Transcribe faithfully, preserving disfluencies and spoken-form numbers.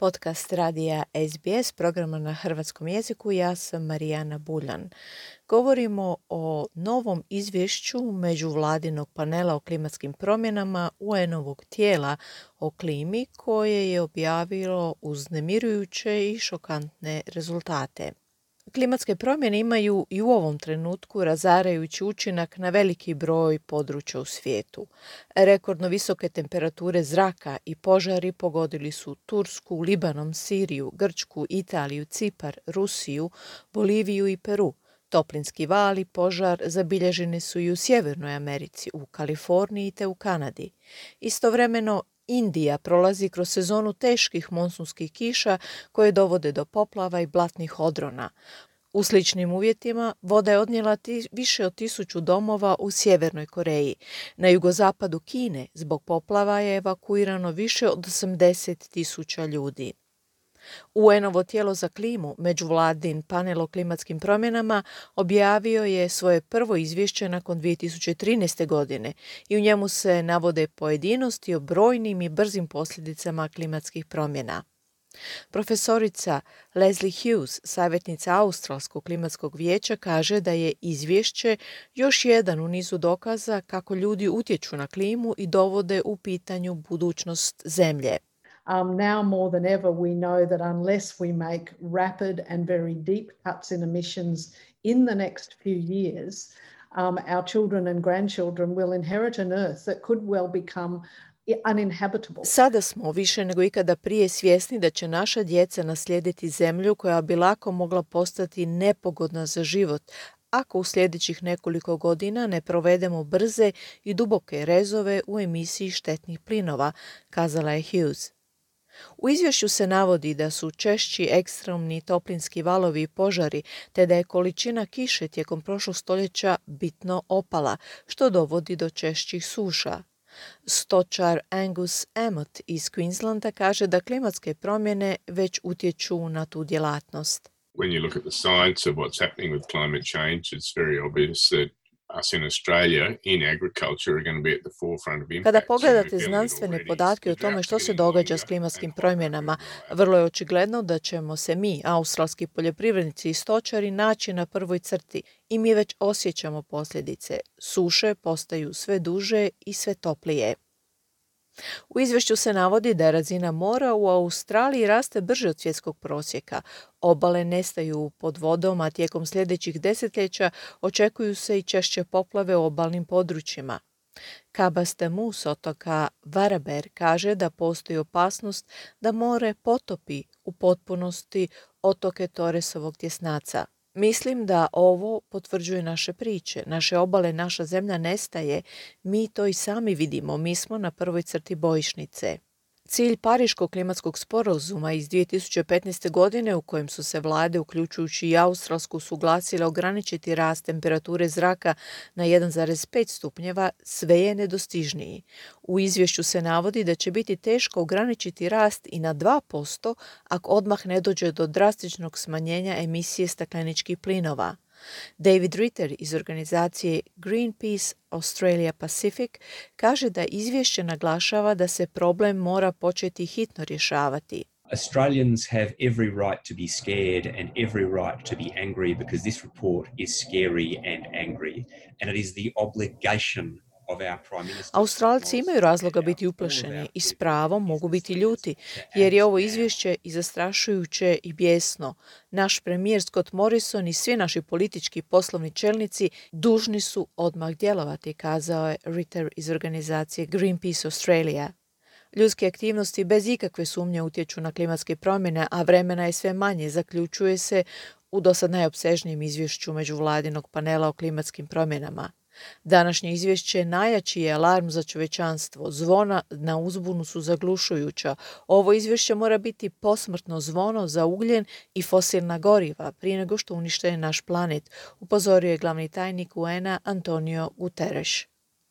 podcast radija S B S, programa na hrvatskom jeziku. Ja sam Marijana Buljan. Govorimo o novom izvješću međuvladinog panela o klimatskim promjenama U N-ovog tijela o klimi koje je objavilo uznemirujuće i šokantne rezultate. Klimatske promjene imaju i u ovom trenutku razarajući učinak na veliki broj područja u svijetu. Rekordno visoke temperature zraka i požari pogodili su Tursku, Libanon, Siriju, Grčku, Italiju, Cipar, Rusiju, Boliviju i Peru. Toplinski val i požar zabilježeni su i u Sjevernoj Americi, u Kaliforniji te u Kanadi. Istovremeno, Indija prolazi kroz sezonu teških monsunskih kiša koje dovode do poplava i blatnih odrona. U sličnim uvjetima voda je odnijela ti, više od tisuću domova u Sjevernoj Koreji. Na jugozapadu Kine zbog poplava je evakuirano više od osamdeset tisuća ljudi. U N-ovo tijelo za klimu, međuvladin panel o klimatskim promjenama, objavio je svoje prvo izvješće nakon dvije tisuće trinaeste. godine i u njemu se navode pojedinosti o brojnim i brzim posljedicama klimatskih promjena. Profesorica Leslie Hughes, savjetnica Australskog klimatskog vijeća, kaže da je izvješće još jedan u nizu dokaza kako ljudi utječu na klimu i dovode u pitanju budućnost zemlje. Um, now more than ever we know that unless we make rapid and very deep cuts in emissions in the next few years, um, our children and grandchildren will inherit an earth that could well become uninhabitable. Sada smo više nego ikada prije svjesni da će naša djeca naslijediti zemlju koja bi lako mogla postati nepogodna za život, ako u sljedećih nekoliko godina ne provedemo brze i duboke rezove u emisiji štetnih plinova, kazala je Hughes. U izvješću se navodi da su češći ekstremni toplinski valovi i požari, te da je količina kiše tijekom prošlog stoljeća bitno opala, što dovodi do češćih suša. Stočar Angus Amott iz Queenslanda kaže da klimatske promjene već utječu na tu djelatnost. When you look at the science of what's happening with climate change, it's very obvious that us in Australia in agriculture are going to be at the forefront of impact. Kada pogledate znanstvene podatke o tome što se događa s klimatskim promjenama, vrlo je očigledno da ćemo se mi, australski poljoprivrednici i stočari, naći na prvoj crti i mi već osjećamo posljedice. Suše postaju sve duže i sve toplije. U izvješću se navodi da razina mora u Australiji raste brže od svjetskog prosjeka. Obale nestaju pod vodom, a tijekom sljedećih desetljeća očekuju se i češće poplave u obalnim područjima. Kabas Temu s otoka Varaber kaže da postoji opasnost da more potopi u potpunosti otoke Torresovog tjesnaca. Mislim da ovo potvrđuje naše priče. Naše obale, naša zemlja nestaje. Mi to i sami vidimo. Mi smo na prvoj crti bojišnice. Cilj Pariškog klimatskog sporazuma iz dvije tisuće petnaeste. godine, u kojem su se vlade, uključujući i Australsku, suglasile ograničiti rast temperature zraka na jedan zarez pet stupnjeva, sve je nedostižniji. U izvješću se navodi da će biti teško ograničiti rast i na dva posto ako odmah ne dođe do drastičnog smanjenja emisije stakleničkih plinova. David Ritter iz organizacije Greenpeace Australia Pacific kaže da izvješće naglašava da se problem mora početi hitno rješavati. Australians have every right to be scared and every right to be angry because this report is scary and angry, and it is the obligation. Australci imaju razloga biti uplašeni i s pravom mogu biti ljuti, jer je ovo izvješće i zastrašujuće i bijesno. Naš premijer Scott Morrison i svi naši politički poslovni čelnici dužni su odmah djelovati, kazao je Ritter iz organizacije Greenpeace Australia. Ljudske aktivnosti bez ikakve sumnje utječu na klimatske promjene, a vremena je sve manje, zaključuje se u dosad najopsežnijem izvješću međuvladinog panela o klimatskim promjenama. Današnje izvješće najjači je alarm za čovječanstvo. Zvona na uzbunu su zaglušujuća. Ovo izvješće mora biti posmrtno zvono za ugljen i fosilna goriva prije nego što unište naš planet, upozorio je glavni tajnik U N-a Antonio Guterres.